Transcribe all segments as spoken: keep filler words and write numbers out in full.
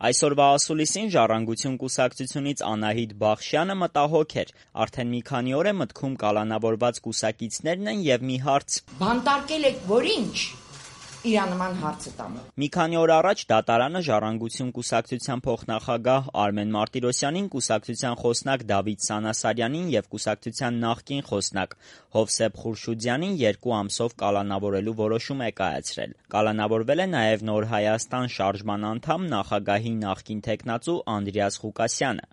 Այսօրվա ասուլիսին Ժառանգություն կուսակցությունից Անահիտ Բախշյանը մտահոգ էր, արդեն մի քանի օր է մտքում կալանավորված կուսակիցներն են եւ մի հարց. Բանտարկել եք, որ ինչ, իրանման հարցը տամ։ Մի քանի օր առաջ դատարանը Ժառանգություն կուսակցության փոխնախագահ Արմեն Մարտիրոսյանին, կուսակցության խոսնակ Դավիթ Սանասարյանին եւ կուսակցության նախկին խոսնակ Հովսեփ Խուրշուդյանին երկու ամսով կալանավորելու որոշում է կայացրել։ Կալանավորվել է նաեւ Նոր Հայաստան շարժման անդամ նախագահի նախկին թեկնածու Անդրեաս Ղուկասյանը։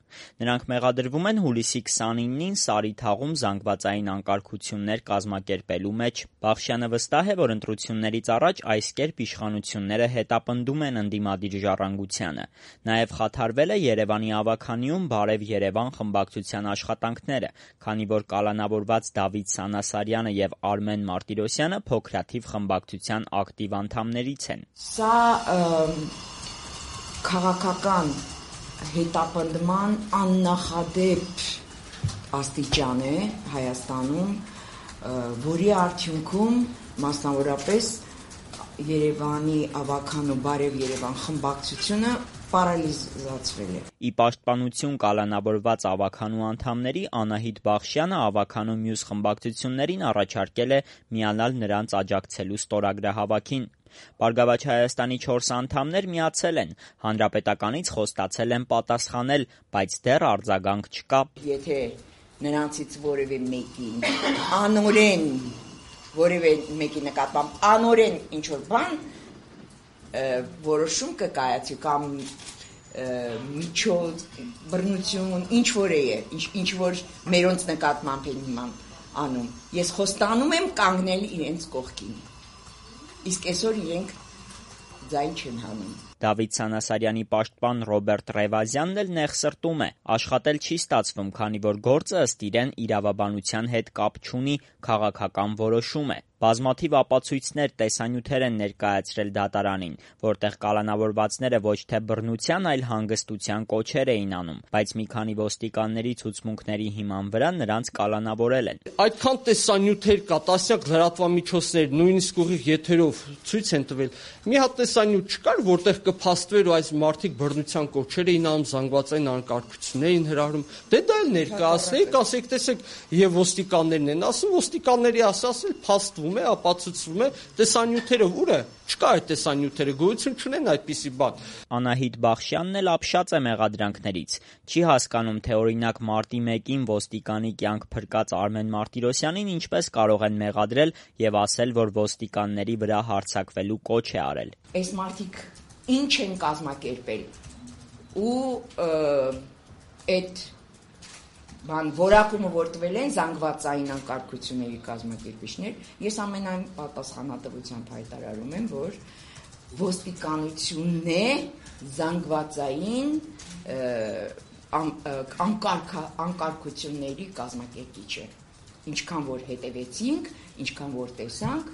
Նրանք մեղադրվում են հուլիսի քսանինին Սարիթաղում զանգվածային անկարգություններ կազմակերպելու մեջ։ Բախշյանը վստահ է, որ ընտրություններից առաջ այս կերպ իշխանությունները հետապնդում են ընդդիմադիր Ժառանգությանը։ Նաև խաթարվել է Երևանի ավագանիում Բարև Երևան խմբակցության աշխատանքները, քանի որ կալանավորված Դավիթ Սանասարյանը եւ Արմեն Մարտիրոսյանը փոքրաթիվ խմբակցության ակտիվ անդամներից են։ Սա քաղաքական հետապնդման աննախադեպ աստիճան է Հայաստանում, որի արդյունքում մասնավորապես Երևանի ավագանու Բարև Երևան խմբակցությունը պարալիզացվել է։ Ի պաշտպանություն կալանավորված ավագանու անդամների Անահիտ Բախշյանը ավագանու մյուս խմբակցություններին առաջարկել է միանալ նրանց աջակցելու ստորագրահավաքին։ Բարգավաճ Հայաստանի չորս անդամներ միացել են, Հանրապետականից խոստացել են պատասխանել, բայց դեռ արձագանք չկա։ Եթե նրանցից որևէ մեկին անօրեն որևէ մեկի նկատմամբ անօրեն ինչ-որ բան որոշում կկայացի կամ միջոց բռնություն ինչ-որ է, ինչ-որ մերոնց նկատմամբ են հիման անում, ես խոստանում եմ կանգնել իրենց կողքին, իսկ այսօր իրենք ձայն չեն հանում։ Դավիթ Սանասարյանի պաշտպան Ռոբերտ Ռևազյանն էլ նեղսրտում է, աշխատել չի ստացվում, քանի որ գործը ըստ իրեն իրավաբանության հետ կապ չունի, քաղաքական որոշում է։ Բազմաթիվ ապացույցներ, տեսանյութեր են ներկայացրել դատարանին, որտեղ կալանավորվածները ոչ թե բռնության, այլ հանգստության կոչեր էին անում, բայց մի քանի ոստիկանների ցուցմունքների հիման վրա նրանց կալանավորել են։ Այդքան տեսանյութեր կա, տասնյակ լրատվամիջոցներ, նույնիսկ ուղիղ եթերով ցույց են տվել։ Մի հատ տեսանյութ չկար, որտեղ կփաստվեր ու այս մարդիկ բռնության կոչեր էին անում, զանգվածային անկարգություններ էին հրահրում։ Դե դա էլ ներկայացնեիք, ասեք, տեսեք, եւ ոստիկաններն են ասում, ոստիկանների ասածը փաստվում է, ապացուցվում է, տեսանյութերը ուր է։ Չկա այդ տեսանյութերը, գոյություն չունեն այդպիսի բան։ Անահիտ Բախշյանն էլ ապշած է մեղադրանքներից։ Չի հասկանում, թե օրինակ մարտի մեկին ոստիկանի կյանք փրկած Արմեն Մարտիրոսյանին ինչպես կարող են մեղադրել եւ ասել, որ ոստիկանների վրա հարձակվելու կոչ է արել։ Այս մարդիկ ինչ են կազմակերպել ու այդ բան որակումը որ տվել են զանգվածային անկարգությունների կազմակերպիչներ, ես ամենայն պատասխանատվությամբ հայտարարում եմ, որ ոստիկանությունն է զանգվածային անկարգությունների կազմակերպիչը։ Ինչքան որ հետևեցինք, ինչքան որ տեսանք,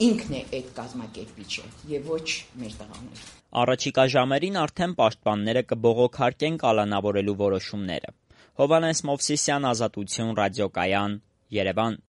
ինքն է այդ կազմակերպիչը եւ ոչ մեր տղաները։ Առաջիկա ժամերին արդեն պաշտպանները կբողոքարկեն կալանավորելու որոշումները։ Հովհաննես Մովսիսյան, Ազատություն, ռադիոկայան, Երևան։